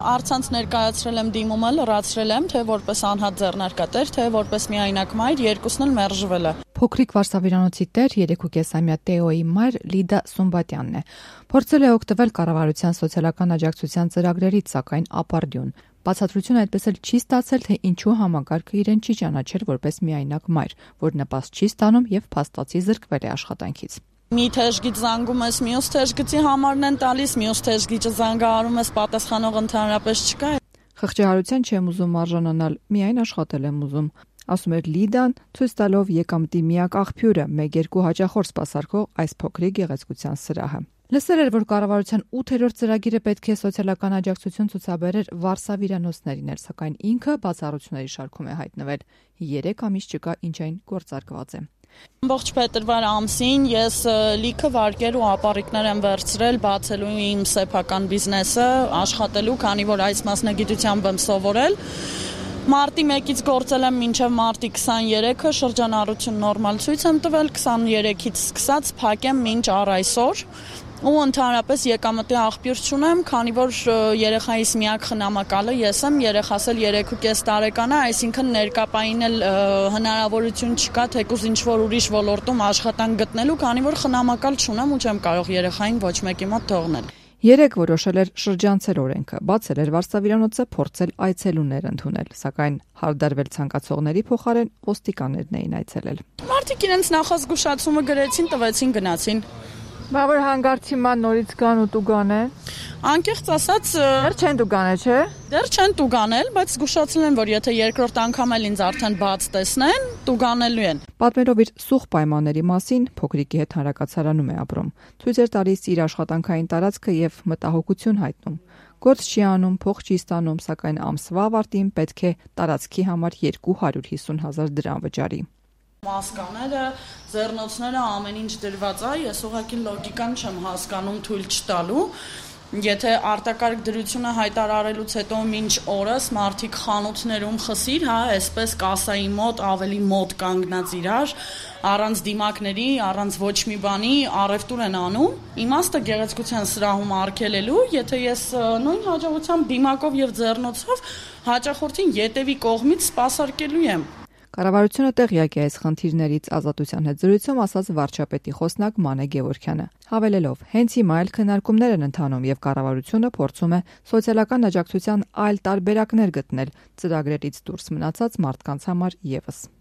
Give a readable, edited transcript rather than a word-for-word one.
Առցանց ներկայացրել եմ դիմումը, լրացրել եմ, թե որպես անհատ ձեռնարկատեր, թե որպես միայնակ մայր, երկուսն էլ մերժվել է։ Փոքրիկ վարսավիրանոցի տեր 3.5-ամյա Տեոյի մայր Լիդա Սումբատյանն է։ Փորձել է օգտվել կառավարության սոցիալական աջակցության ծրագրերից, սակայն ապարդյուն։ Բացատրություն այդպես էլ չի ստացել, թե ինչու համակարգը իրեն չի ճանաչել որպես միայնակ մայր, որ նպաստ չի ստանում եւ փաստացի զրկվել է աշխատանքից։ Մի թեժգիծ զանգում ես, մյուս թեժգծի համարն են տալիս, մյուս թեժգիճը զանգահարում ես, պատասխանող ընդհանրապես չկա։ Խղճահարության չեմ ուզում արժանանալ, միայն աշխատել եմ ուզում, ասում էր Լիդան, ցույց տալով եկամտի միակ աղբյուրը, 1-2 հաճախորդ սպասարկող այս փոքրիկ գեղեցկության սրահը։ Լսել էր, որ կառավարության 8-րդ ծրագիրը պետք է սոցիալական աջակցություն ցուցաբերեր վարսավիրանոցներին, սակայն ինքը բացառությունների շարքում է հայտնվել։ 3 ամիս չկա, ինչ այն գործարկված է։ Ամբողջ փետրվար ամսին ես լիքը վարկեր ու ապառիկներ եմ վերցրել բացելու իմ սեփական բիզնեսը, աշխատելու, քանի որ այս մասնագիտությամբ եմ սովորել։ Մարտի 1-ից գործել եմ մինչև մարտի 23-ը, շրջանառություն նորմալ ցույց եմ տվել, 23-ից սկսած փակեմ մինչ առ այսօր։ Ու ընդհանրապես եկամտի աղբյուր չունեմ, քանի որ երեխայիս միակ խնամակալը ես եմ, երեխաս էլ 3.5 տարեկան է, այսինքն ներկապային էլ հնարավորություն չկա թեկուզ ինչ-որ ուրիշ ոլորտում աշխատանք գտնելու, քանի որ խնամակալ չունեմ ու չեմ կարող երեխային ոչ մեկի մոտ թողնել։ Երեկ որոշել էր շրջանցել օրենքը, բացել էր վարսավիրանոցը, փորձել այցելուներ ընդունել, սակայն հարդարվել ցանկացողների փոխարեն ոստիկաններն էին այցելել։ Մարդիկ իրենց նախազգուշացումը գրեցին, տվեցին, գնացին։ Բա որ հանգարցի ման նորից գան ու տուգանեն։ Անկեղծ ասած, դեռ չեն տուգանել, չէ։ Դեռ չեն տուգանել, բայց զգուշացել են, որ եթե երկրորդ անգամ էլ ինձ արդեն բաց տեսնեն, տուգանելու են։ Պատմելով իր սուղ պայմանների մասին, փոքրիկի հետ հանրակացարանում է ապրում։ Ցույց էր տալիս իր աշխատանքային տարածքը եւ մտահոգություն հայտնում։ Գործ չի անում, փող չի ստանում, սակայն ամսվա ավարտին պետք է տարածքի համար 250,000 դրամ վճարի։ Մասկաները, ձեռնոցները, ամեն ինչ դրված է, ես ուղղակի լոգիկան չեմ հասկանում թույլ չտալու։ Եթե արտակարգ դրությունը հայտարարելուց հետո մինչ օրս մարդիկ խանութներում խսիր, այսպես կասայի մոտ ավելի մոտ կանգնած իրար, առանց դիմակների, առանց ոչ մի բանի առևտուր են անում։ Իմաստը գեղեցկության սրահում արգելելու, եթե ես նույն հաջողությամբ դիմակով եւ ձեռնոցով հաճախորդին ետևի կողմից սպասարկելու եմ։ Կառավարությունը տեղյակ է այս խնդիրներից Ազատության հետ զրույցում ասաց վարչապետի խոսնակ Մանե Գևորգյանը, հավելելով, հենց հիմա էլ քննարկումներ են ընթանում եւ կառավարությունը փորձում է սոցիալական աջակցության այլ տարբերակներ գտնել ծրագրերից դուրս մնացած մարդկանց համար եւս։